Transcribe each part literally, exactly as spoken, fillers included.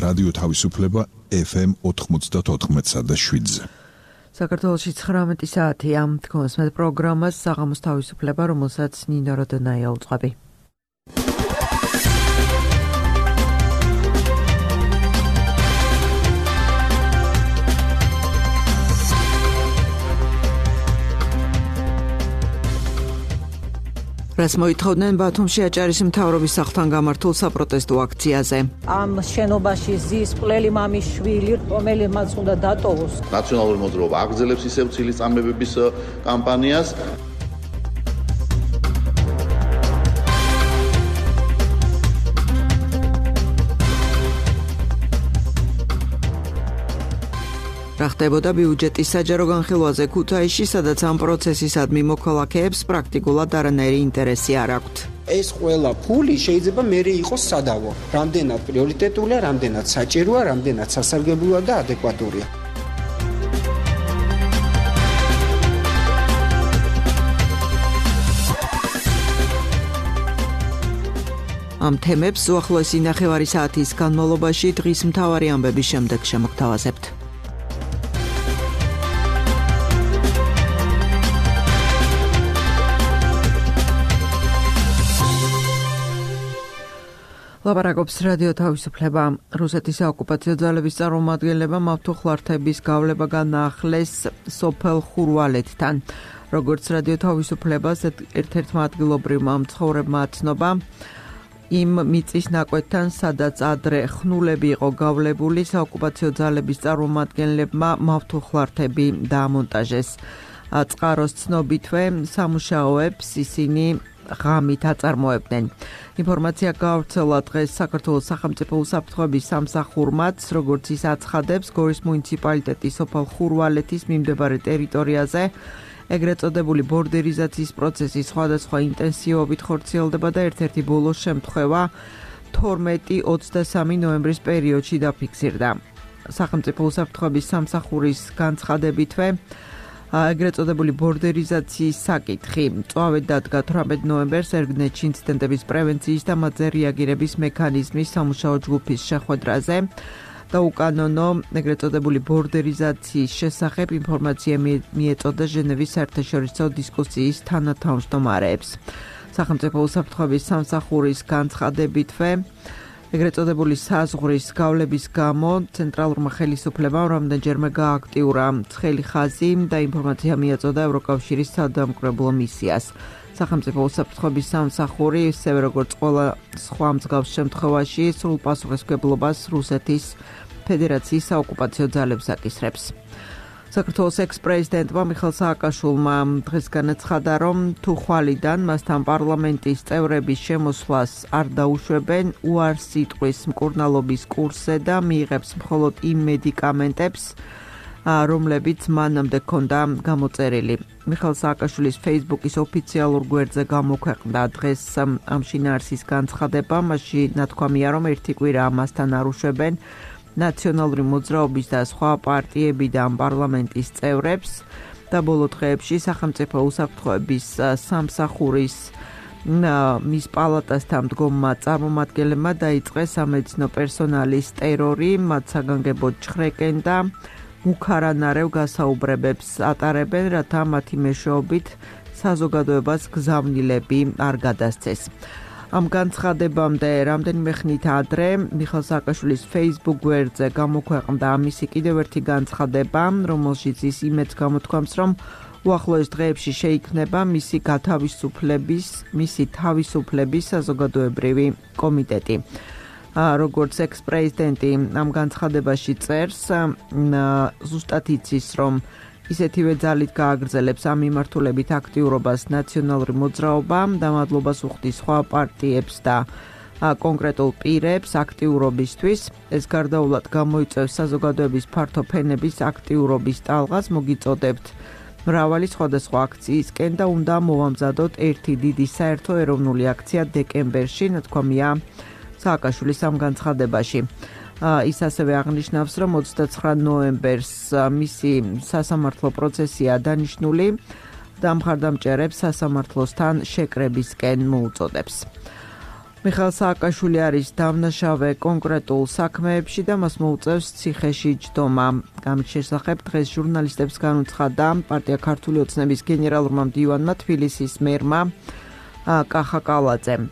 რადიო თავისუფლება ეფ ემ ოთხმოცდაოთხ და შვიდზე. საქართველოში ცხრამეტი საათია. თქოსმეთ პროგრამას საღამოს თავისუფლება, რომელსაც ნინო როდონაია უძღვები. რას მოითხოვდნენ ბათუმში აჭარის მთავრობის სახლთან გამართულ საპროტესტო აქციაზე. ამ შენობაში ზის მკვლელი მამის შვილი, რომელმაც უნდა დატოვოს. ნაციონალური მოძრაობა აგრძელებს ისევ ცილის წამებების კამპანიას. რა ხდებოდა ბიუჯეტის საჯარო განხილვაზე ქუთაისში, სადაც ამ პროცესისადმი მოქალაქეებს პრაქტიკულად არანაირი ინტერესი არ აქვთ. ეს ყველა ფული შეიძლება მერე იყოს სადავო. რამდენად პრიორიტეტულია, რამდენად საჭიროა, რამდენად სასარგებლოა და ადეკვატურია. ამ თემებს უახლოესი ნახევარი საათის განმავლობაში დღის მთავარი ამბების შემდეგ შემოგთავაზებთ. ლაპარაკობს რადიო თავისუფლება. რუსეთის საოკუპაციო ძალების წარმომადგენლებმა მავთუხლართების გავლება განაახლეს სოფელ ხურვალეთთან. როგორც რადიო თავისუფლებას ერთ-ერთმა ადგილობრივმა მცხოვრებმა აცნობა, იმ მიწის ნაკვეთთან, სადაც ადრე ხნულები იყო გავლებული, საოკუპაციო ძალების წარმომადგენლებმა მავთუხლართები დაამონტაჟეს. წყაროს ცნობითვე სამუშაოებს ისინი ღამით აწარმოებდნენ. ინფორმაცია გაავრცელა დღეს საქართველოს სახელმწიფო უსაფრთხოების სამსახურმაც, როგორც ის აცხადებს, გორის მუნიციპალიტეტის სოფელ ხურვალეთის მიმდებარე ტერიტორიაზე ეგრეთ წოდებული ბორდერიზაციის პროცესი სხვადასხვა ინტენსივობით ხორციელდება და ერთ-ერთი ბოლო შემთხვევა თორმეტი ოცდასამი ნოემბრის პერიოდში დაფიქსირდა. სახელმწიფო უსაფრთხოების სამსახურის განცხადებითვე ეგრეთ წოდებული ბორდერიზაციის საკითხი წვავედ დადგა თვრამეტ ნოემბერს ერგნეთში ინციდენტების პრევენციის და მათზე რეაგირების მექანიზმის სამუშაო ჯგუფის შეხვედრაზე და უკანონო ეგრეთ წოდებული ბორდერიზაციის შესახებ ინფორმაცია მიეწოდა ჟენევის საერთაშორისო დისკუსიის თანათავმჯდომარეებს. სახელმწიფო უსაფრთხოების სამსახურის განცხადებითვე ეგრეთ წოდებული საზღვრის გავლების გამო ცენტრალურმა ხელისუფლებამ რამდენჯერმე გააქტიურა ცხელი ხაზი და ინფორმაცია მიაწოდა ევროკავშირის სადამკვირვებლო მისიას. სახელმწიფო უსაფრთხოების სამსახური, ისევე როგორც ყველა სხვა მსგავს შემთხვევაში, სრულ პასუხისმგებლობას რუსეთის ფედერაციის საოკუპაციო ძალებს აკისრებს. საქართველოს ექს-პრეზიდენტმა მიხეილ სააკაშვილმა დღეს განაცხადა, რომ თუ ხვალიდან მასთან პარლამენტის წევრების შემოსვლას არ დაუშვებენ, უარს იტყვის მკურნალობის კურსზე და მიიღებს მხოლოდ იმ მედიკამენტებს, რომლებიც მანამდე ჰქონდა გამოწერილი. მიხეილ სააკაშვილის Facebook-ის ოფიციალურ გვერდზე გამოქვეყნდა დღეს ამ შინაარსის განცხადება, მასში ნათქვამია, რომ ერთი კვირა მასთან არ უშვებენ ნაციონალური მოძრაობის და სხვა პარტიებიდან პარლამენტის წევრებს და ბოლო დღეებში სახელმწიფო უსაფრთხოების სამსახურის მის პალატასთან მდგომმა წარმომადგენლებმა დაიწყეს სამედიცინო პერსონალის ტერორი, მათ საგანგებოდ ჩხრეკენ და მუქარანარევ გასაუბრებებს ატარებენ, რათა მათი მეშვეობით საზოგადოებას გზავნილები არ გადასცეს. ამ განცხადებამდე რამდენიმე ხნით ადრე მიხეილ სააკაშვილის Facebook გვერდზე გამოქვეყნდა მისი კიდევ ერთი განცხადება, რომელშიც ის იმედს გამოთქვამს, რომ უახლოეს დღეებში შეიქმნება მისი გათავისუფლების, მისი თავისუფლების საზოგადოებრივი კომიტეტი. როგორც ექს-პრეზიდენტი ამ განცხადებაში წერს, ზუსტად იცის, რომ ისეთივე ძალით გააგრძელებს ამ მიმართულებით აქტიურობას ნაციონალური მოძრაობა და მადლობას უხდის სხვა პარტიებს და კონკრეტულ პირებს აქტიურობისთვის. ეს გარდაულად გამოიწვევს საზოგადოების ფართო ფენების აქტიურობის ტალღას, მოგიწოდებთ მრავალი სხვადასხვა აქციისკენ და უნდა მოვამზადოთ ერთი დიდი საერთო ეროვნული აქცია დეკემბერში, ნათქვამია სააკაშვილის ამ განცხადებაში. ის ასევე აღნიშნავს, რომ ოცდაცხრა ნოემბერს მისი სასამართლო პროცესია დანიშნული და მხარდამჭერებს სასამართლოსთან შეკრებისკენ მოუწოდებს. მიხეილ სააკაშვილი არის დამნაშავე კონკრეტულ საქმეებში და მას მოუწევს ციხეში ჯდომა. ამის შესახებ დღეს ჟურნალისტებს განუცხადა პარტია ქართული ოცნების გენერალურმა მდივანმა თბილისის მერმა კახა კალაძემ.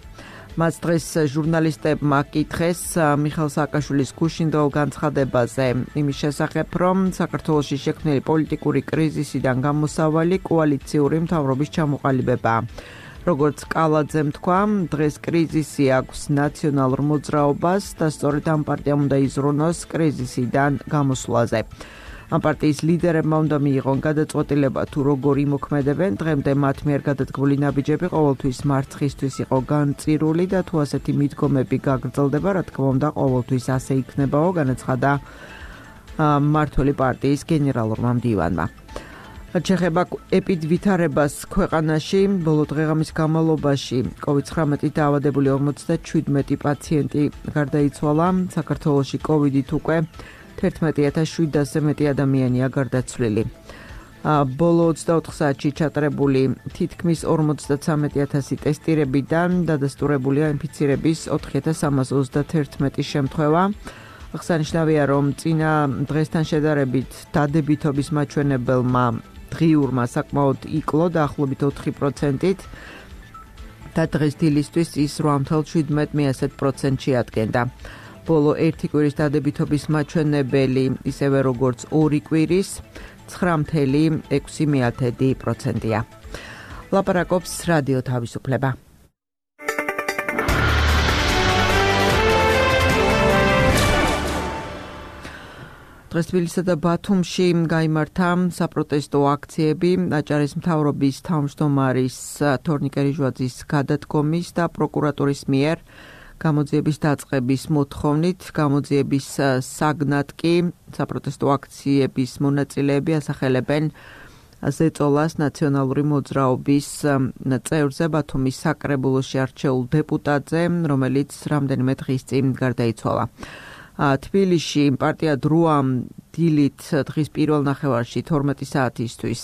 მას დღეს ჟურნალისტებმა კითხეს მიხეილ სააკაშვილის გუშინდელ განცხადებაზე იმის შესახებ, რომ საქართველოში შექმნილი პოლიტიკური კრიზისიდან გამოსავალი კოალიციური მთავრობის ჩამოყალიბებაა. როგორც კალაძემ თქვა, დღეს კრიზისი აქვს ნაციონალურ მოძრაობას და სწორედ ამ პარტიამ უნდა იზრუნოს კრიზისიდან გამოსვლაზე. ამ პარტიის ლიდერებმა უნდა მიიღონ გადაწყვეტილება თუ როგორ იმოქმედებენ. დღემდე მათ მიერ გადადგმული ნაბიჯები ყოველთვის მარცხისთვის იყო განწირული და თუ ასეთი მიდგომები გაგრძელდება, რა თქმა უნდა, ყოველთვის ასე იქნებაო, განაცხადა მმართველი პარტიის გენერალურმა მდივანმა. შეეხება ეპიდვითარებას ქვეყანაში, ბოლო დღეღამის განმავლობაში კოვიდ ცხრამეტით დაავადებული ორმოცდაჩვიდმეტი პაციენტი გარდაიცვალა. საქართველოში კოვიდით უკვე თერთმეტი ათას შვიდასზე მეტი ადამიანია გარდაცვლილი. ბოლო ოცდაოთხ საათში ჩატარებული თითქმის ორმოცდათვრამეტი ათასი ტესტირებიდან დადასტურებულია ინფიცირების ოთხი ათას სამას ოცდათერთმეტი შემთხვევა. აღსანიშნავია, რომ წინა დღესთან შედარებით დადებითობის მაჩვენებელმა დღიურმა საკმაოდ იკლო დაახლოებით ოთხი პროცენტით და დღეს დილისთვის ის რვა ათას შვიდმეტ პროცენტში ადგენდა. ბოლო ერთი კვირის დადებითობის მაჩვენებელი ისევე როგორც ორი კვირის ცხრა ათას ექვსი პროცენტია. ლაპარაკობს რადიო თავისუფლება. დღეს თბილისსა და ბათუმში გაიმართა საპროტესტო აქციები აჭარის მთავრობის თავმჯდომარის თორნიკე რიჟვაძის გადადგომის და პროკურატურის მიერ გამოძიების დაწყების მოთხოვნით. გამოძიების საგნად კი საპროტესტო აქციების მონაწილეები ასახელებენ ზეწოლას ნაციონალური მოძრაობის წევრზე, ბათუმის საკრებულოში არჩეულ დეპუტატზე, რომელიც რამდენიმე დღის წინ გარდაიცვალა. თბილისში პარტია დროა დილით დღის პირველ ნახევარში თორმეტი საათისთვის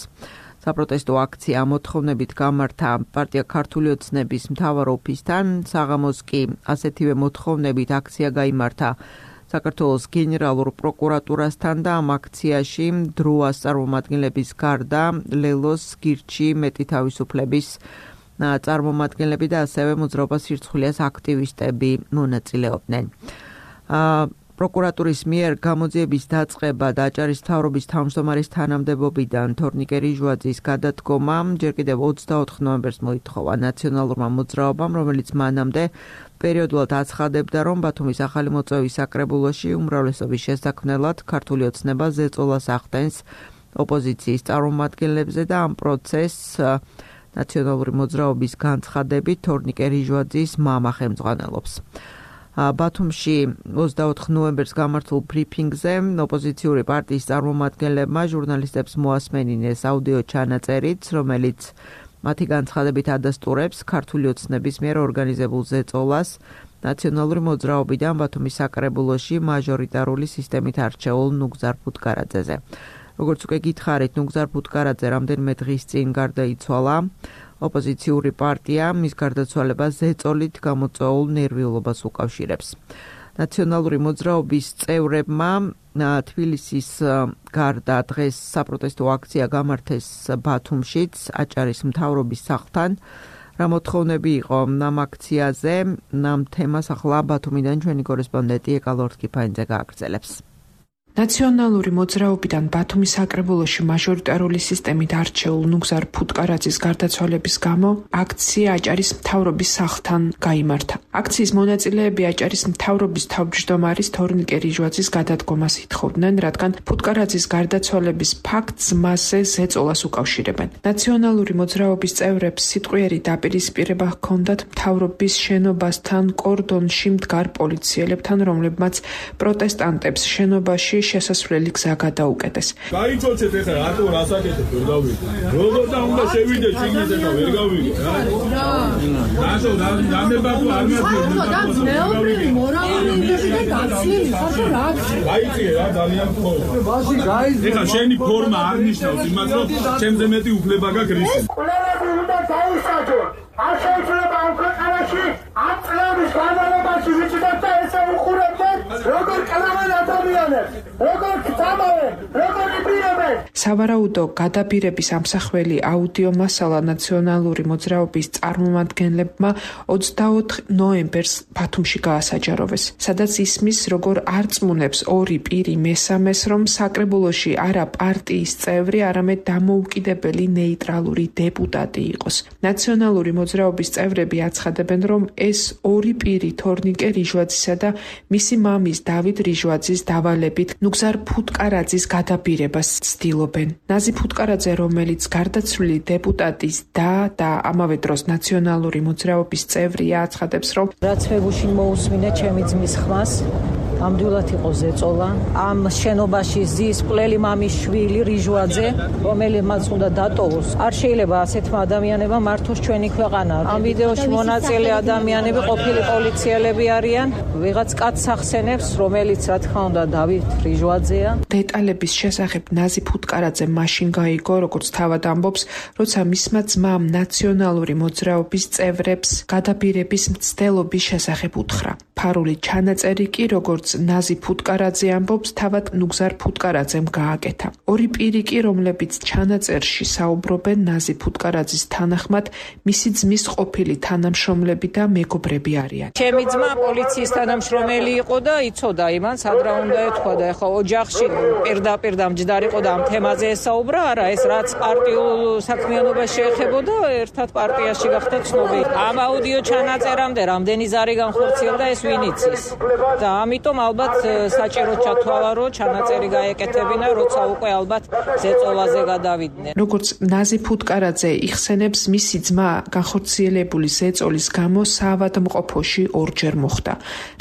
საპროტესტო აქცია მოთხოვნებით გამართა პარტია ქართული ოცნების მთავარ ოფისთან. საღამოს კი ასეთივე მოთხოვნებით აქცია გაიმართა საქართველოს გენერალურ პროკურატურასთან და ამ აქციაში დროას წარმომადგენლების გარდა ლელოს, გირჩი, მეტი თავისუფლების წარმომადგენლები და ასევე მოძრაობას სირცხვილიას აქტივისტები მონაწილეობდნენ. პროკურატურის მიერ გამოძიების დაწყება და აჭარის მთავრობის თავმჯდომარის თანამდებობიდან თორნიკე რიჟვაძის გადადგომა ჯერ კიდევ ოცდაოთხ ნოემბერს მოითხოვა ნაციონალურმა მოძრაობამ, რომელიც მანამდე პერიოდულად აცხადებდა, რომ ბათუმის ახალი მოწვევის საკრებულოში უმრავლესობის შესაქმნელად ქართული ოცნება ზეწოლას ახდენს ოპოზიციის წარმომადგენლებზე და ამ პროცესს ნაციონალური მოძრაობის განცხადებით თორნიკე რიჟვაძის მამა ხელმძღვანელობს. ბათუმში ოცდაოთხ ნოემბერს გამართულ ბრიფინგზე ოპოზიციური პარტიის წარმომადგენლებმა ჟურნალისტებს მოასმენინეს აუდიო ჩანაწერიც, რომელიც მათი განცხადებით ადასტურებს ქართული ოცნების მიერ ორგანიზებულ ზეწოლას ნაციონალური მოძრაობიდან ბათუმის საკრებულოში მაჟორიტარული სისტემით არჩეულ ნუგზარ ფუტკარაძეზე. როგორც უკვე გითხარით, ნუგზარ ფუტკარაძე რამდენიმე დღის წინ გარდაიცვალა. ოპოზიციური პარტია მის გარდაცვალებას ზეწოლით გამოწვეულ ნერვიულობას უკავშირებს. ნაციონალური მოძრაობის წევრებმა თბილისის გარდა დღეს საპროტესტო აქცია გამართეს ბათუმშიც, აჭარის მთავრობის სახლთან. რა მოთხოვნები იყო ამ აქციაზე, ამ თემას ახლა ბათუმიდან ჩვენი კორესპონდენტი ეკალორთ კიფაინძე გააგრძელებს. ნაციონალური მოძრაობიდან ბათუმის საკრებულოში მაჟორიტარული სისტემით არჩეულ ნუგზარ ფუტკარაძის გარდაცვალების გამო აქცია აჭარის მთავრობის სახლთან გაიმართა. აქციის მონაწილეები აჭარის მთავრობის თავმჯდომარის თორნიკე რიჟვაძის გადადგომას ითხოვდნენ, რადგან ფუტკარაძის გარდაცვალების ფაქტს მასზე ზეწოლას უკავშირებენ. ნაციონალური მოძრაობის წევრებს სიტყვიერი დაპირისპირება ჰქონდათ მთავრობის შენობასთან კორდონში მდგარ პოლიციელებთან, რომლებმაც პროტესტანტებს შენობაში შესასვლელი გზა გადაუკეტეს. გაიწოცეთ ეხლა რატო რასაკეთებ ვერ გავიგე. როგორ და უნდა შევიდე შიგნით ეხლა ვერ გავიგე რა. რატო რამებაკო არ მათი მეობრელი მორალური ინტერესზე გაცლილი ხარ რა აქვს? გაიწიე რა ძალიან ხოლმე. მაშინ გაიზრდა. ეხლა შენი ფორმა არ ნიშნავს იმას რომ ჩემზე მეტი უფლება გაქვს რის. ყველაფერი უნდა დაუსაჯო. არ შეიძლება ამ ქვეყანაში ამ წლების განმავლობაში ვიჭიდოთ და ესე უხურებდნენ როგორ კლავენ ადამიანებს, როგორ გწამავენ, როგორ იბირებენ. სავარაუდო გადაბირების ამსახველი აუდიო მასალა ნაციონალური მოძრაობის წარმომადგენლებმა ოცდაოთხ ნოემბერს ბათუმში გაასაჯაროვეს, სადაც ისმის როგორ არწმუნებს ორი პირი მესამეს, რომ საკრებულოში არა პარტიის წევრი, არამედ დამოუკიდებელი ნეიტრალური დეპუტატი იყოს. ნაციონალური მოძრაობის წევრები აცხადებენ, რომ ეს ორი პირი თორნიკე რიჟვაძისა და მისი მამის დავით რიჟვაძის დავალებით ნუგზარ ფუტკარაძის გადაბირებას ცდილობენ. ნაზი ფუტკარაძე, რომელიც გარდაცვლილი დეპუტატის და და ამავე დროს ნაციონალური მოძრაობის წევრია, აცხადებს, რომ რაც მე გუშინ მოусმინე ჩემი ძმის ხმას, ამდვილად იყო ზეწოლა. ამ შენობაში ზის მკვლელი მამის შვილი რიჟვაძე, რომელმაც უნდა დატოვოს. არ შეიძლება ასეთმა ადამიანებმა მართოს ჩვენი ქვეყანა. ამ ვიდეოში მონაწილე ადამიანები ყოფილი პოლიციელები არიან. ვიღაც კაცს ახსენებს, რომელიც რა თქმა უნდა დავით რიჟვაძეა. დეტალების შესახებ ნაზი ფუტკარაძე მაშინ გაიგო, როგორც თავად ამბობს, როცა მისმა ძმამ ნაციონალური მოძრაობის წევრებს გადაბირების მცდელობის შესახებ უთხრა. ფარული ჩანაწერი კი, როგორც ნაზი ფუტკარაძე ამბობს, თავად ნუგზარ ფუტკარაძემ გააკეთა. ორი პირი კი, რომლებიც ჩანაწერში საუბრობენ ნაზი ფუტკარაძის თანახმად, მისი ძმის ყოფილი თანამშრომლები და მეგობრები არიან. ჩემი ძმა პოლიციის თანამშრომელი იყო და იცოდა იმან, სადრა უნდა ეთქვა და ეხა ოჯახში პირდაპირ და მჯდარიყო და ამ თემაზე ესაუბრა, არა, ეს რაც პარტიულ საქმიანობას შეეხებოდა, ერთად პარტიაში გახდა ცნობილი. ამ აუდიო ჩანაწერამდე რამდენი ზარი განხორციელდა, ეს ვინ იცის. და ამიტომ ალბათ საჭირო ჩათვალა, რომ ჩანაწერი გაეკეთებინა, როცა უკვე ალბათ ზეწოლაზე გადავიდნენ. როგორც ნაზი ფუტკარაძე იხსენებს, მისი ძმა განხორციელებული ზეწოლის გამო საავადმყოფოში ორჯერ მოხვდა,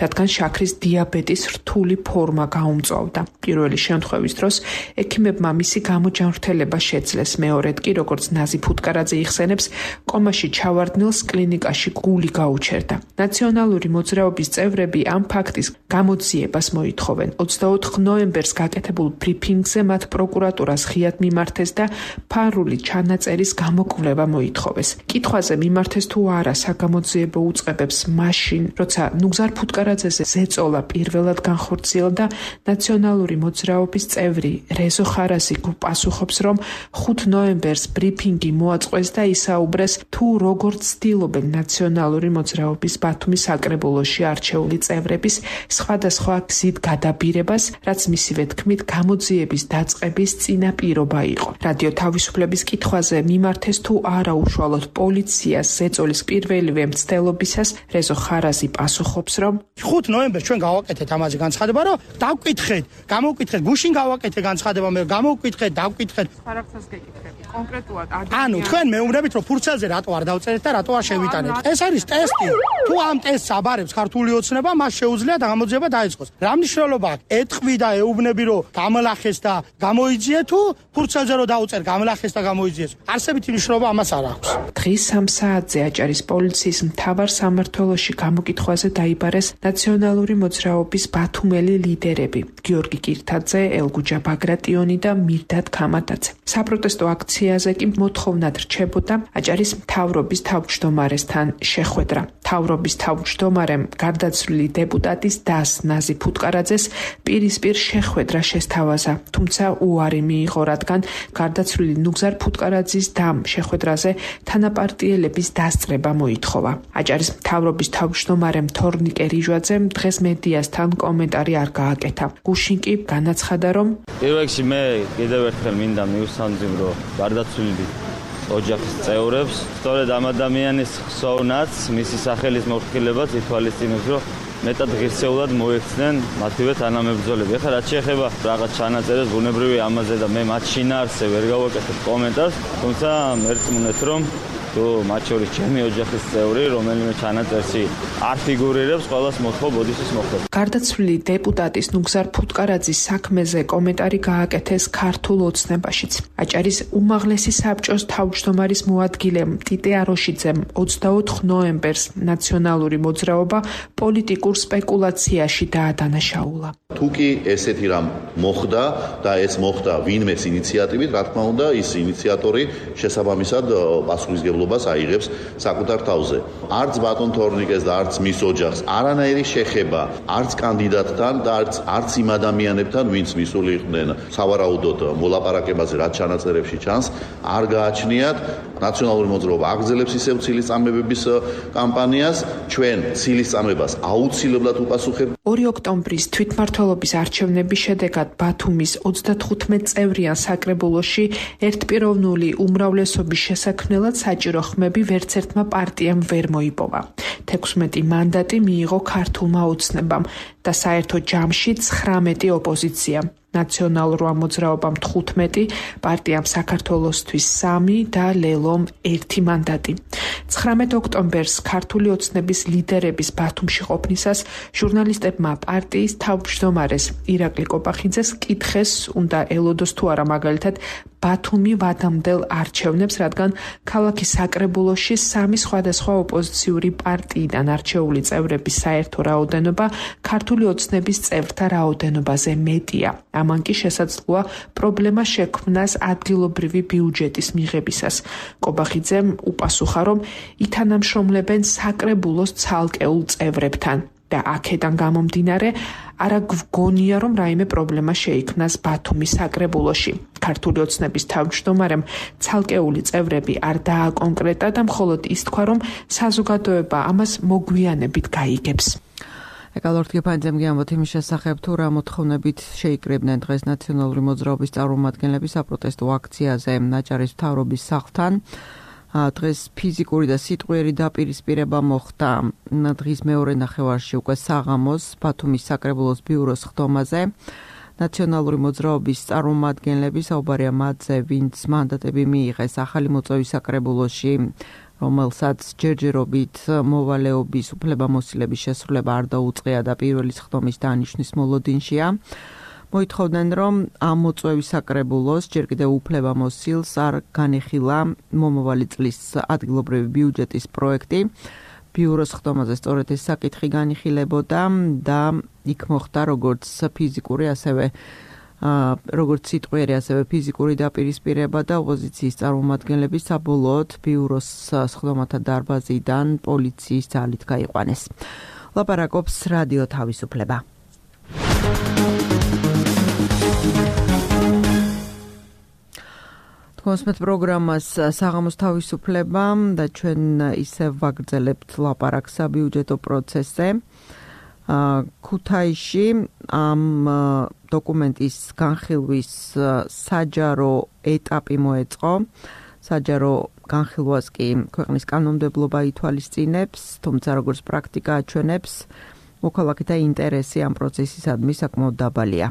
რადგან შაქრის დიაბეტის რთული ფორმა გაუმწვავდა. პირველი შემთხვევის დროს ექიმებმა მისი გამოჯანმრთელება შეძლეს, მეორედ კი, როგორც ნაზი ფუტკარაძე იხსენებს, კომაში ჩავარდნილს კლინიკაში გული გაუჩერდა. ნაციონალური მოძრაობის წევრები ამ ფაქტის გამოძიებას მოითხოვენ. ოცდაოთხ ნოემბერს გაკეთებულ ბრიფინგზე მათ პროკურატურას ღიად მიმართეს და ფარული ჩანაწერის გამოკვლევა მოითხოვეს. კითხვაზე მიმართეს თუ არა საგამოძიებო უწყებებს მაშინ, როცა ნუგზარ ფუტკარაძეზე ზეწოლა პირველად განხორციელდა, ნაციონალური მოძრაობის წევრი რეზო ხარასი პასუხობს, რომ ხუთ ნოემბერს ბრიფინგი მოაწყვეს და ისაუბრეს თუ როგორ ცდილობენ ნაციონალური მოძრაობის ბათუმის საკრებულოში არჩეული წევრების სხვადასხვა გზით გადაბირებას, რაც მისივე თქმით გამოძიების დაწყების წინაპირობა იყო. რადიო თავისუფლების კითხვაზე მიმართეს თუ არა უშუალოდ პოლიციას ზეწოლის პირველივე მცდელობისას, რეზო ხარაზი პასუხობს, რომ ხუთ ნოემბერს ჩვენ გავაკეთეთ ამაზე განცხადება, რომ დავკითხეთ, გამოვკითხეთ, გუშინ გავაკეთეთ განცხადება, მე გამოვკითხეთ, დავკითხეთ. ფარაგცას გეკითხები, კონკრეტულად ანუ თქვენ მეუბნებით, რომ ფურცელზე რატო არ დავწერეთ და რატო არ შევიტანეთ. ეს არის ტესტი. თუ ამ ტესტს აბარებს ქართული ოცნება, მას შეუძლია გამოძიება დაიწყოს. რა მნიშვნელობა აქვს? ეთყვი და ეუბნები, რომ გამლახეს და გამოიძიე, თუ ფურცელზე რომ დაუწერ, გამლახეს და გამოიძიეს. არსებითი მნიშვნელობა ამას არ აქვს. დღის სამ საათზე აჭარის პოლიციის მთავარ სამმართველოში გამოკითხვაზე დაიბარეს ნაციონალური მოძრაობის ბათუმელი ლიდერები: გიორგი კირთაძე, ელგუჯა ბაგრატიონი და მირდად ქამატაძე. საპროტესტო აქციაზე კი მოთხოვნად რჩებოდა აჭარის მთავრობის თავმჯდომარესთან შეხვედრა. მთავრობის თავმჯდომარემ გარდაცვლილი დეპუტატის დას ნაზი ფუტკარაძეს პირისპირ შეხვედრა შესთავაზა, თუმცა უარი მიიღო, რადგან გარდაცვლილი ნუგზარ ფუტკარაძის დამ შეხვედრაზე თანაპარტიელების დასწრება მოითხოვა. აჭარის მთავრობის თავმჯდომარემ თორნიკე რიჟვაძემ დღეს მედიასთან კომენტარი არ გააკეთა. გუშინ კი განაცხადა, რომ პირველში მე კიდევ ერთხელ მინდა მივსამძიმრო გარდაცვლილი ოჯახის წევრებს, სწორედ ამ ადამიანის ხსოვნაც, მისი სახელის მოხილებას ითვალისწინებს, რომ მეტად ღირსეულად მოექცნენ მათივე თანამებრძოლები. ეხლა რაც შეეხება რაღაც ჩანაწერებს, ბუნებრივია ამაზე და მე მათ შინაარსზე ვერ გავაკეთებ კომენტარს, თუმცა მერწმუნეთ, რომ თუ მათ შორის ჩემი ოჯახის წევრი, რომელიმე ჩანაწერში არ ფიგურირებს, ყველას მოთხოვ ბოდიშის მოხდება. გარდაცვლილი დეპუტატის ნუგზარ ფუტკარაძის საქმეზე კომენტარი გააკეთეს ქართულ ოცნებაშიც. აჭარის უმაღლესი საბჭოს თავმჯდომარის მოადგილემ ტიტე აროშიძემ ოცდაოთხ ნოემბერს ნაციონალური მოძრაობა პოლიტიკურ სპეკულაციაში დაადანაშაულა. თუ კი ესეთი რამ მოხდა და ეს მოხდა ვინმეს ინიციატივით, რა თქმა უნდა, ის ინიციატორი შესაბამისად პასუხისმგებლობას აიღებს საკუთარ თავზე. არც ბატონ თორნიკეს და არც მის ოჯახს არანაირი შეხება არც კანდიდატთან და არც არც იმ ადამიანებთან, ვინც მისული იყვნენ სავარაუდოდ მოლაპარაკებაზე, რაც ჩანაწერებში ჩანს, არ გააჩნიათ. ნაციონალური მოძრაობა აგრძელებს ისევ ცილისწამებების კამპანიას, ჩვენ ცილისწამებას აუცილებლად უპასუხებთ. ორი ოქტომბრის თვითმმართველობის არჩევნების შედეგად ბათუმის ოცდათხუთმეტ წევრიან საკრებულოში ერთპიროვნული უმრავლესობის შესაქმნელად საჭირო ხმები ვერც ერთმა პარტიამ ვერ მოიპოვა. თექვსმეტი მანდატი მიიღო ქართულმა ოცნებამ და საერთო ჯამში ცხრამეტი ოპოზიცია. ნაციონალურმა მოძრაობამ თხუთმეტი, პარტიამ საქართველოსთვის სამი და ლელომ ერთი მანდატი. ცხრამეტ ოქტომბერს ქართული ოცნების ლიდერების ბათუმში ყოფნისას ჟურნალისტებმა პარტიის თავმჯდომარეს ირაკლი კოპახიძეს კითხეს, უნდა ელოდოს თუ არა მაგალითად ბათუმი ვადამდელ არჩევნებს, რადგან ქალაქის საკრებულოში სამი სხვადასხვა ოპოზიციური პარტიიდან არჩეული წევრების საერთო რაოდენობა ქართული ოცნების წევრთა რაოდენობაზე მეტია. ამან კი შესაძლოა პრობლემა შექმნას ადგილობრივი ბიუჯეტის მიღებისას. კობახიძემ უპასუხა, რომ ითანამშრომლებენ საკრებულოს ცალკეულ წევრებთან და აქედან გამომდინარე არა გვგონია, რომ რაიმე პრობლემა შეიქმნას ბათუმის საკრებულოში. ქართული ოცნების თავმჯდომარემ ცალკეული წევრები არ დააკონკრეტა და მხოლოდ ის თქვა, რომ საზოგადოება ამას მოგვიანებით გაიგებს. ეკალორთგეფანძემ გიამბოთ იმის შესახებ, თუ რა მოთხოვნებით შეიკრიბნენ დღეს ნაციონალური მოძრაობის წარმომადგენლები საპროტესტო აქციაზე აჭარის მთავრობის სახლთან. დღეს ფიზიკური და სიტყვიერი დაპირისპირება მოხდა დღის მეორე ნახევარში უკვე საღამოს ბათუმის საკრებულოს ბიუროს ხდომაზე. ნაციონალური მოძრაობის წარმომადგენლები საუბარია მათზე, ვინც მანდატები მიიღეს ახალი მოწვევის საკრებულოში, რომელსაც ჯერჯერობით მოვალეობის უფლებამოსილების შესრულება არ დაუწყია და პირველი ხდომის დანიშნვის მოლოდინშია. მოითხოვდნენ, რომ ამ მოწვევის საკრებულოს ჯერ კიდევ უფლებამოსილს არ განეხილა მომავალი წლის ადგილობრივი ბიუჯეტის პროექტი. ბიუროს ხდომაზე სწორედ ეს საკითხი განიხილებოდა და იქ მოხდა როგორც ფიზიკური, ასევე როგორც სიტყვიერი, ასევე ფიზიკური დაპირისპირება და ოპოზიციის წარმომადგენლები საბოლოოდ ბიუროს სხდომათა დარბაზიდან პოლიციის ძალით გაიყვანეს. ლაპარაკობს რადიო თავისუფლება. თქოსმეთ პროგრამას საღამოს თავისუფლება და ჩვენ ისევ ვაგრძელებთ ლაპარაკს საბიუჯეტო პროცესზე. ქუთაისში ამ დოკუმენტის განხილვის საჯარო ეტაპი მოეწყო. საჯარო განხილვას კი ქვეყნის კანონმდებლობა ითვალისწინებს, თუმცა როგორც პრაქტიკა აჩვენებს, მოქალაქეთა ინტერესი ამ პროცესისადმი საკმაოდ დაბალია.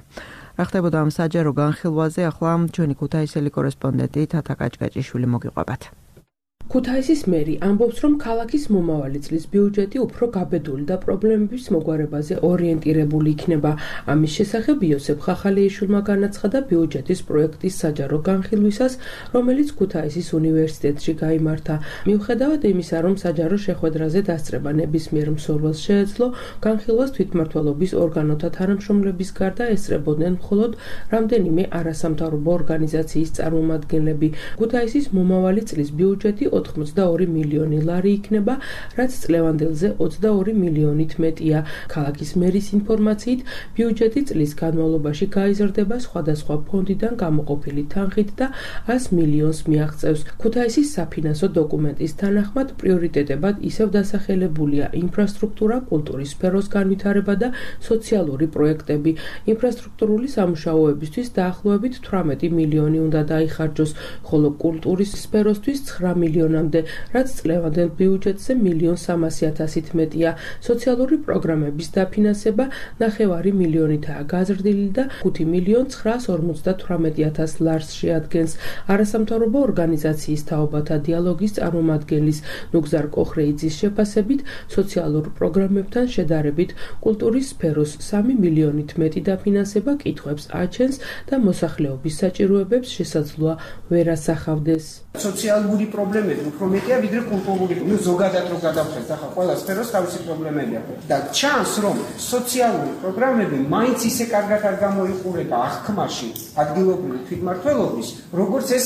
რა ხდებოდა ამ საჯარო განხილვაზე, ახლა ჩვენი ქუთაისელი კორესპონდენტი თათა კაჭკაჭიშვილი მოგიყვებათ. ქუთაისის მერი ამბობს, რომ ქალაქის მომავალი წლის ბიუჯეტი უფრო გაბედული და პრობლემების მოგვარებაზე ორიენტირებული იქნება. ამის შესახებ იოსებ ხახალეიშვილმა განაცხადა ბიუჯეტის პროექტის საჯარო განხილვისას, რომელიც ქუთაისის უნივერსიტეტში გაიმართა. მიუხედავად იმისა, რომ საჯარო შეხვედრაზე დასწრება ნებისმიერ მსურველს შეეძლო, განხილვას თვითმმართველობის ორგანოთა თანამშრომლების გარდა ესწრებოდნენ მხოლოდ რამდენიმე არასამთავრობო ორგანიზაციის წარმომადგენლები. ქუთაისის მომავალი წლის ბიუჯეტი ოთხმოცდაორი მილიონი ლარი იქნება, რაც წლევანდელზე ოცდაორი მილიონით მეტია. ქალაქის მერის ინფორმაციით, ბიუჯეტი წლის განმავლობაში გაიზრდება სხვადასხვა ფონდიდან გამოყოფილი თანხით და ას მილიონს მიაღწევს. ქუთაისის საფინანსო დოკუმენტის თანახმად, პრიორიტეტებად ისევ დასახელებულია ინფრასტრუქტურა, კულტურის სფეროს განვითარება და სოციალური პროექტები. ინფრასტრუქტურული სამუშაოებისთვის დაახლოებით თვრამეტი მილიონი უნდა დაიხარჯოს, ხოლო კულტურის სფეროსთვის ცხრა მილიონი მილიონამდე, რაც წლევანდელ ბიუჯეტზე მილიონ სამასი ათასით მეტია. სოციალური პროგრამების დაფინანსება ნახევარი მილიონითაა გაზრდილი და ხუთი მილიონ ცხრაას ორმოცდათვრამეტი ათას ლარს შეადგენს. არასამთავრობო ორგანიზაციის თაობათა დიალოგის წარმომადგენლის ნუგზარ კოხრეიძის შეფასებით, სოციალურ პროგრამებთან შედარებით კულტურის სფეროს სამი მილიონით მეტი დაფინანსება კითხვებს აჩენს და მოსახლეობის საჭიროებებს შესაძლოა ვერ ასახავდეს. სოციალური პრობლემები უფრო მეტია ვიდრე კულტურული. ნუ ზოგადად რო გადავხედეთ, ახლა ყველა სფეროს თავისი პრობლემები აქვს. და ჩანს, რომ სოციალური პროგრამები მაინც ისე კარგად არ გამოიყურება აღქმაში ადგილობრივი თვითმმართველობის, როგორც ეს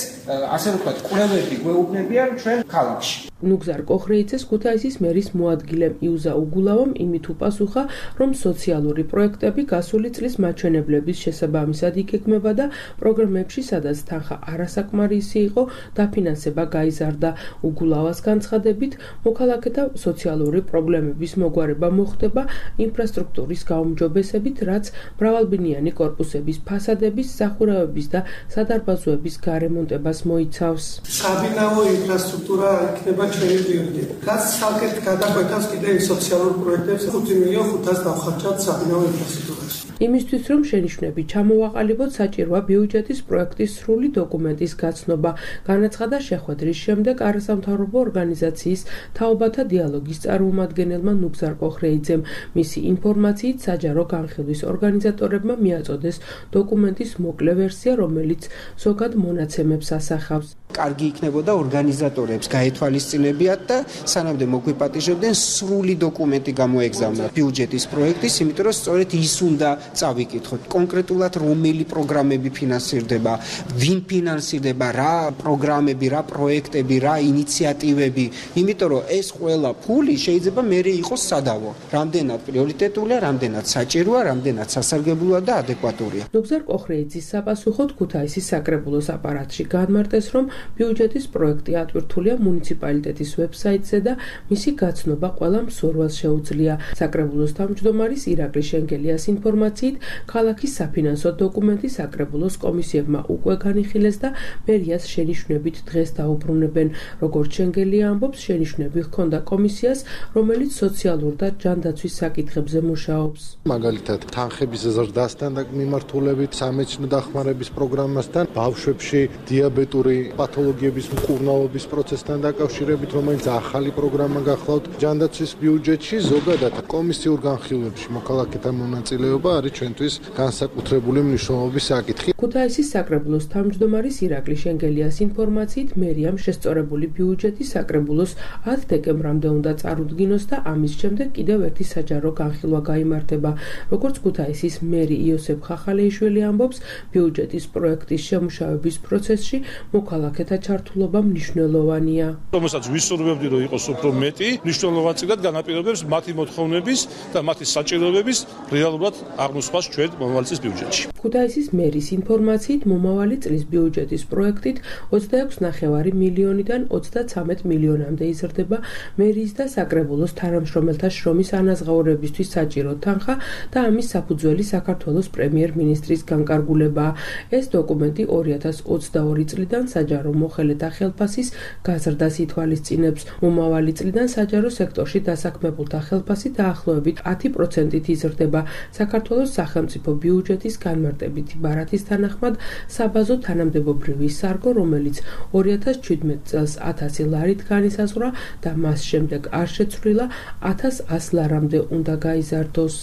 ასე ვთქვათ, კვლევები გვეუბნებიან ჩვენ ქალაქში. ნუგზარ კოხრეიძეს ქუთაისის მერის მოადგილემ იუზა უგულავამ იმით უპასუხა, რომ სოციალური პროექტები გასული წლის მაჩვენებლების შესაბამისად იგეგმება და პროგრამებში, სადაც თანხა არასაკმარისი იყო, დაფინანსება გაიზარდა. უგულავას განცხადებით, მოქალაქეთა სოციალური პრობლემების მოგვარება მოხდება ინფრასტრუქტურის გაუმჯობესებით, რაც მრავალბინიანი კორპუსების ფასადების, სახურავების და სადარბაზოების გარემონტებას მოიცავს. საბინაო ინფრასტრუქტურა იქნება ჩვენი პრიორიტეტი. რაც საკეთ გადაგვეთავს კიდევ სოციალურ პროექტებს ხუთი მილიონ ხუთას დავხარჯავთ საბინაო ინფრასტრუქტურაში. იმისთვის, რომ შენიშვნები ჩამოვაყალიბოთ, საჭიროა ბიუჯეტის პროექტის სრული დოკუმენტის გაცნობა. განაცხადა შეხვედრის შემდეგ არასამთავრობო ორგანიზაციის თაობათა დიალოგის წარმომადგენელმა ნუგზარ კოხრეიძემ. მისი ინფორმაციით, საჯარო განხილვის ორგანიზატორებმა მიაწოდეს დოკუმენტის მოკლე ვერსია, რომელიც ზოგად მონაცემებს ასახავს. კარგი იქნებოდა ორგანიზატორებს გაეთვალისწინებიათ და სანამდე მოგვიპატიჟებდნენ სრული დოკუმენტი გამოეგზავნათ ბიუჯეტის პროექტის, იმიტომ რომ სწორედ ის უნდა წავიკითხოთ კონკრეტულად რომელი პროგრამები ფინანსირდება, ვინ ფინანსირდება, რა პროგრამები, რა პროექტები, რა ინიციატივები, იმიტომ რომ ეს ყველა ფული შეიძლება მერე იყოს სადავო. რამდენად პრიორიტეტულია, რამდენად საჭიროა, რამდენად სასარგებლოა და ადეკვატურია. ნუგზარ კოხრეიძის საპასუხოდ ქუთაისის საკრებულოს აპარატში განმარტეს, რომ ბიუჯეტის პროექტი ატვირთულია მუნიციპალიტეტის ვებსაიტზე და მისი გაცნობა ყველა მსურველს შეუძლია. საკრებულოს თავმჯდომარის ირაკლი შენგელიას ინფორმაციით, ქალაქის საფინანსო დოკუმენტი საკრებულოს კომისიებმა უკვე განიხილეს და მერიას შენიშვნებით დღეს დაუბრუნებენ. როგორც შენგელია ამბობს, შენიშვნები ჰქონდა კომისიას, რომელიც სოციალურ და ჯანდაცვის საკითხებზე მუშაობს. მაგალითად, თანხების ზრდასთან და მიმართულებით, სამეცნიერო დახმარების პროგრამასთან, ბავშვებში დიაბეტური პათოლოგიების მკურნალობის პროცესთან დაკავშირებით, რომელიც ახალი პროგრამა გახლავთ ჯანდაცვის ბიუჯეტში, ზოგადად კომისიურ განხილვებში მოქალაქეთა მონაწილეობა არის ჩვენთვის განსაკუთრებული მნიშვნელობის საკითხი. ქუთაისის საკრებულოს თავმჯდომარის ირაკლი შენგელიას ინფორმაციით, მერიამ შესწორებული ბიუჯეტი საკრებულოს ათი დეკემბრამდე უნდა წარუდგინოს და ამის შემდეგ კიდევ ერთი საჯარო განხილვა გაიმართება. როგორც ქუთაისის მერი იოსებ ხახალეიშვილი ამბობს, ბიუჯეტის პროექტის შემუშავების პროცესში მოქალაქეთა ჩართულობა მნიშვნელოვანია. რომელსაც ვისურვებდი, რომ იყოს უფრო მეტი, მნიშვნელოვანად განაპირობებს მათი მოთხოვნების და მათი საჭიროებების რეალურად აღმოსვლას ჩვენ მომავალი წლის ბიუჯეტში. ქუთაისის მერის ინფორმაციით, მომავალი წლის ბიუჯეტის პროექტით ოცდაექვსი ნახევარი მილიონიდან ოცდაცამეტ მილიონამდე იზრდება მერის და საკრებულოს თანამშრომელთა შრომის ანაზღაურებისთვის საჭირო თანხა და ამის საფუძველი საქართველოს პრემიერ-მინისტრის განკარგულებაა. ეს დოკუმენტი ორი ათას ოცდაორი წლიდან საჯარო მოხელეთა ხელფასის გაზრდას ითვალისწინებს. მომავალი წლიდან საჯარო სექტორში დასაქმებულთა ხელფასი დაახლოებით ათი პროცენტით იზრდება. საქართველოს სახელმწიფო ბიუჯეტის განმარტებითი ბარათის თანახმად, საბაზო თანამდებობრივი სარგო, რომელიც ორი ათას ჩვიდმეტ წელს ათასი ლარით განისაზღვრა და მას შემდეგ არ შეცვლილა, ათას ას ლარამდე უნდა გაიზარდოს.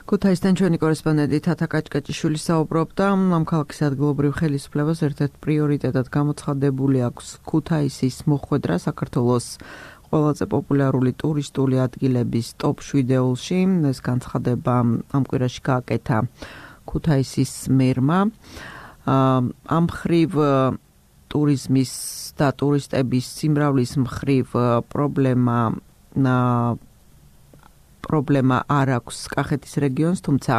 ქუთაისთან ჩვენი კორესპონდენტი თათა კაჭკაჭიშვილი საუბრობდა, ამ ქალაქის ადგილობრივ ხელისუფლებას ერთ-ერთ პრიორიტეტად გამოცხადებული აქვს ქუთაისის მოხვედრა საქართველოს ყველაზე პოპულარული ტურისტული ადგილების ტოპ შვიდეულში. ეს განცხადება ამ კვირაში გააკეთა ქუთაისის მერმა. ამ მხრივ ტურიზმის და ტურისტების სიმრავლის მხრივ პრობლემა პრობლემა არ აქვს კახეთის რეგიონს, თუმცა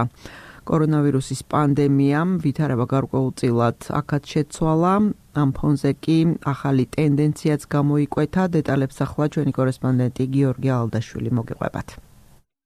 კორონავირუსის პანდემიამ ვითარება გარკვეულწილად აქაც შეცვალა. ამ ფონზე კი ახალი ტენდენციაც გამოიკვეთა. დეტალებს ახლა ჩვენი კორესპონდენტი გიორგი ალდაშვილი მოგიყვებათ.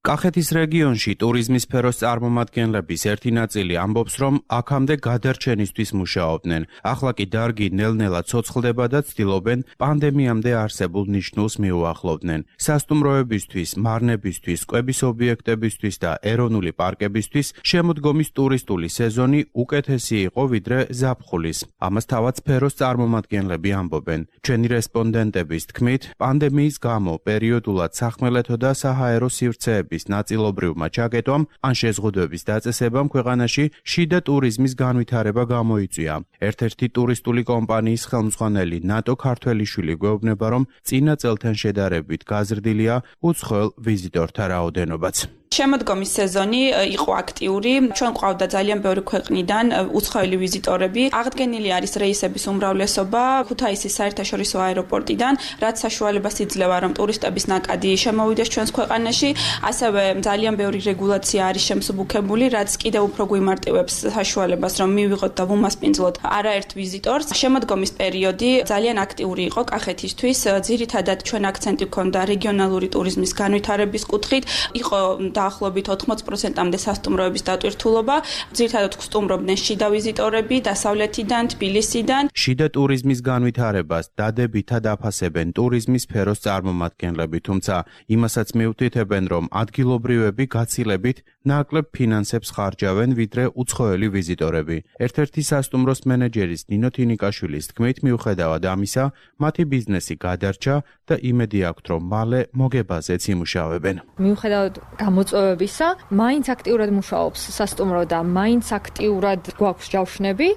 კახეთის რეგიონში ტურიზმის სფეროს წარმომადგენლების ერთი ნაწილი ამბობს, რომ აქამდე გადარჩენისთვის მუშაობდნენ. ახლა კი დარგი ნელ-ნელა ცოცხლდება და ცდილობენ პანდემიამდე არსებულ ნიშნულს მიუახლოვდნენ. სასტუმროებისთვის, მარნებისთვის, კვების ობიექტებისთვის და ეროვნული პარკებისთვის შემოდგომის ტურისტული სეზონი უკეთესი იყო ვიდრე ზაფხულის. ამას თავად სფეროს წარმომადგენლები ამბობენ. ჩვენი რესპონდენტების თქმით, პანდემიის გამო პერიოდულად სახმელეთო და საჰაერო სივრცეები ნაწილობრივმა ჩაკეტვამ ან შეზღუდვების დაწესებამ ქვეყანაში შიდა ტურიზმის განვითარება გამოიწვია. ერთ-ერთი ტურისტული კომპანიის ხელმძღვანელი ნატო ქართველიშვილი გვეუბნება, რომ წინა წელთან შედარებით გაზრდილია უცხოელ ვიზიტორთა რაოდენობაც. შემოდგომის სეზონი იყო აქტიური. ჩვენ ყავდა ძალიან ბევრი ქვეყნიდან უცხოელი ვიზიტორები. აღდგენილი არის რეისების უმრავლესობა ქუთაისის საერთაშორისო აეროპორტიდან, რაც საშუალებას იძლევა, რომ ტურისტების ნაკადი შემოვიდეს ჩვენს ქვეყანაში. ასევე ძალიან ბევრი რეგულაცია არის შემსუბუქებული, რაც კიდევ უფრო გვიმარტივებს საშუალებას, რომ მივიღოთ და ვუმასპინძლოთ არაერთ ვიზიტორს. შემოდგომის პერიოდი ძალიან აქტიური იყო კახეთისთვის. ძირითადად ჩვენ აქცენტი გვქონდა რეგიონალური ტურიზმის განვითარების კუთხით. იყო დაახლოებით ოთხმოც პროცენტამდე სასტუმროების დატვირთულობა. ძირითადად სტუმრობდნენ შიდა ვიზიტორები დასავლეთიდან, თბილისიდან. შიდა ტურიზმის განვითარებას დადებითად აფასებენ ტურიზმის სფეროს წარმომადგენლები, თუმცა იმასაც მიუთითებენ, რომ ადგილობრივები გაცილებით ნაკლებ ფინანსებს ხარჯავენ ვიდრე უცხოელი ვიზიტორები. ერთ-ერთი სასტუმროს მენეჯერის ნინო თინიკაშვილის თქმით, მიუხედავად ამისა, მათი ბიზნესი გადარჩა და იმედი აქვთ, რომ მალე მოგებაზეც იმუშავებენ. მიუხედავად გამოწვევებისა, მაინც აქტიურად მუშაობს სასტუმრო და მაინც აქტიურად გვაქვს ჯავშნები,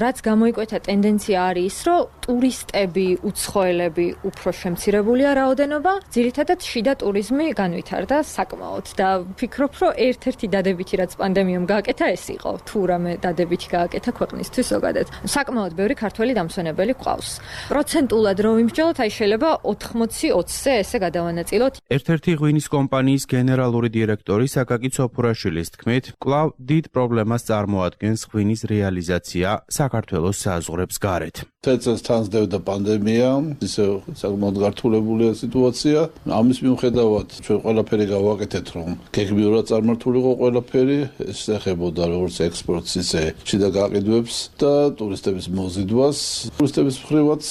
რაც გამოიკვეთა ტენდენცია არის ის, რომ ტურისტები, უცხოელები უფრო შემცირებულია რაოდენობა, ძირითადად შიდა ტურიზმი განვითარდა საკმაოდ და ვფიქრობ, რომ ერთ-ერთი დადებითი რაც პანდემიამ გააკეთა ეს იყო, თუ რამე დადებითი გააკეთა ქვეყნისთვის ზოგადად. საკმაოდ ბევრი ქართველი დამსვენებელი გვყავს. პროცენტულად რო ვიმსჯელოთ, აი შეიძლება ოთხმოცი ოცზე ესე გადავანაწილოთ. ერთ-ერთი ღვინის კომპანიის გენერალური დირექტორი საკაკი ცოფურაშვილის თქმით, კვლავ დიდ პრობლემას წარმოადგენს ღვინის რეალიზაცია საქართველოს საზღვრებს გარეთ. წელს თანსდევდა პანდემია, ისე საკმაოდ გართულებულია სიტუაცია. ამის მიუხედავად ჩვენ ყველაფერი გავაკეთეთ, რომ გეგმიურად წარმართულიყო ყველაფერი, ეს ეხებოდა როგორც ექსპორტს, ისე შიდა გაყიდვებს და ტურისტების მოზიდვას. ტურისტების მხრივაც,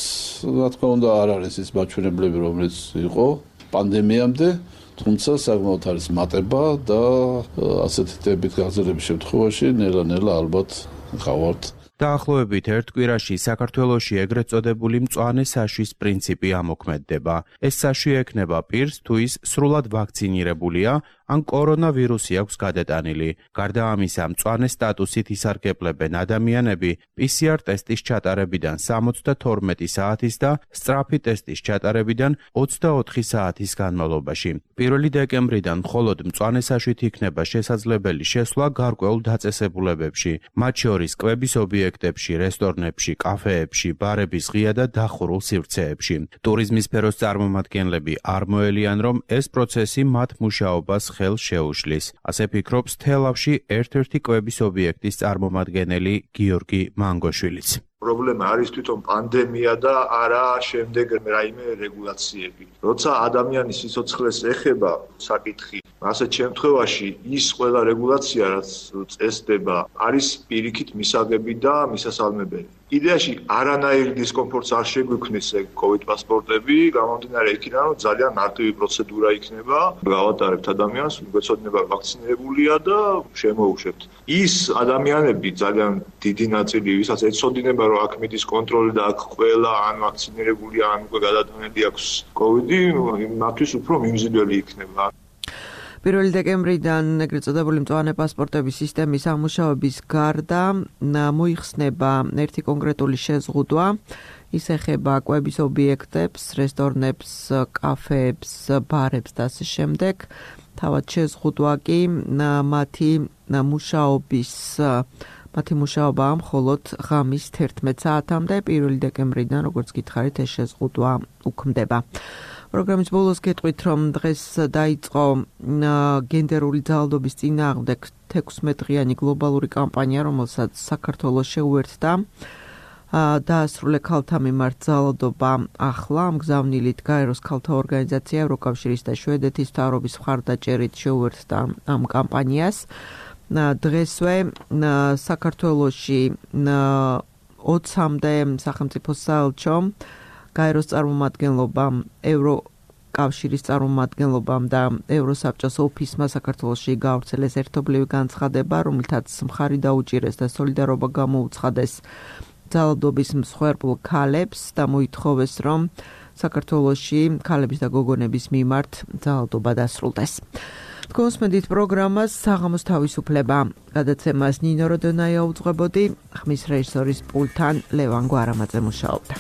რა თქმა უნდა, არ არის ის მაჩვენებლები, რომელიც იყო პანდემიამდე. თუმცა საკმაოდ არის მატება და ასეთი ტიპით გაზრდების შემთხვევაში ნელა-ნელა ალბათ გავართ. დაახლოებით ერთ კვირაში საქართველოში ეგრეთ წოდებული მწვანე საშვის პრინციპი ამოქმედდება. ეს საშვი ექნება პირს, თუ ის სრულად ვაქცინირებულია, ან კორონავირუსი აქვს გადატანილი. გარდა ამისა, მწვანე სტატუსით ისარგებლებენ ადამიანები პი სი არ ტესტის ჩატარებიდან სამოცდათორმეტი საათის და სწრაფი ტესტის ჩატარებიდან ოცდაოთხი საათის განმავლობაში. პირველი დეკემბრიდან მხოლოდ მწვანე საშვით იქნება შესაძლებელი შესვლა გარკვეულ დაწესებულებებში, მათ შორის კვების ობიექტებში, რესტორნებში, კაფეებში, ბარების ღია და დახურულ სივრცეებში. ტურიზმის სფეროს წარმომადგენლები არ მოელიან, რომ ეს პროცესი მათ მუშაობას ხელს შეუშლის. ასე ფიქრობს თელავში ერთ-ერთი კვების ობიექტის წარმომადგენელი გიორგი მანგოშვილიც. პრობლემა არის თვითონ პანდემია და არა შემდეგ რაიმე რეგულაციები. როცა ადამიანის სიცოცხლეს ეხება საკითხი, ასეთ შემთხვევაში ის ყველა რეგულაცია, რაც წესდება, არის პირიქით მისაღები და მისასალმებელი. იდეაში არანაირ დისკომფორტს არ შეგვიქმნის COVID პასპორტები, გამომდინარე იქიდან, რომ ძალიან მარტივი პროცედურა იქნება, გავატარებთ ადამიანს, გვეცოდინება ვაქცინირებულია და შემოუშვებთ. ის ადამიანები ძალიან დიდი ნაწილი, ვისაც ეცოდინება, რომ აქ მიდის კონტროლი და აქ ყველა ან ვაქცინირებულია, ან უკვე გადატანილი აქვს COVID-ი, მათთვის უფრო მიმზიდველი იქნება. პირველი დეკემბრიდან ეგრეთ წოდებული მწვანე პასპორტების სისტემის ამუშავების გარდა მოიხსნება ერთი კონკრეტული შეზღუდვა. ის ეხება კვების ობიექტებს, რესტორნებს, კაფეებს, ბარებს და ასე შემდეგ. თავად შეზღუდვა კი მათი მუშაობის მათი მუშაობაა მხოლოდ ღამის თერთმეტ საათამდე. პირველი დეკემბრიდან, როგორც გითხარით, ეს შეზღუდვა უქმდება. პროგრამის ბოლოს გეტყვით, რომ დღეს დაიწყო გენდერული ძალადობის წინააღმდეგ თექვსმეტ დღიანი გლობალური კამპანია, რომელსაც საქართველოს შეუერთდა დაასრულე ქალთა მიმართ ძალადობა ახლა მგზავნილით გაეროს ქალთა ორგანიზაცია ევროკავშირის და შვედეთის მთავრობის მხარდაჭერით შეუერთდა ამ კამპანიას. დღესვე საქართველოში ოცამდე სახელმწიფო საელჩომ გაეროს წარმომადგენლობამ ევრო კავშირის წარმომადგენლობამ და ევროსაბჭოს ოფისმა საქართველოში გავრცელეს ერთობლივი განცხადება, რომლითაც მხარი დაუჭირეს და სოლიდარობა გამოუცხადეს ძალადობის მსხვერპლ ქალებს და მოითხოვეს, რომ საქართველოში ქალების და გოგონების მიმართ ძალადობა დასრულდეს. გოსმედით პროგრამას საღამოს თავისუფლება გადაცემას ნინო როდონაია უძღვებოდი, ხმის რეჟისორის პულტთან ლევან გვარამაძე მუშაობდა.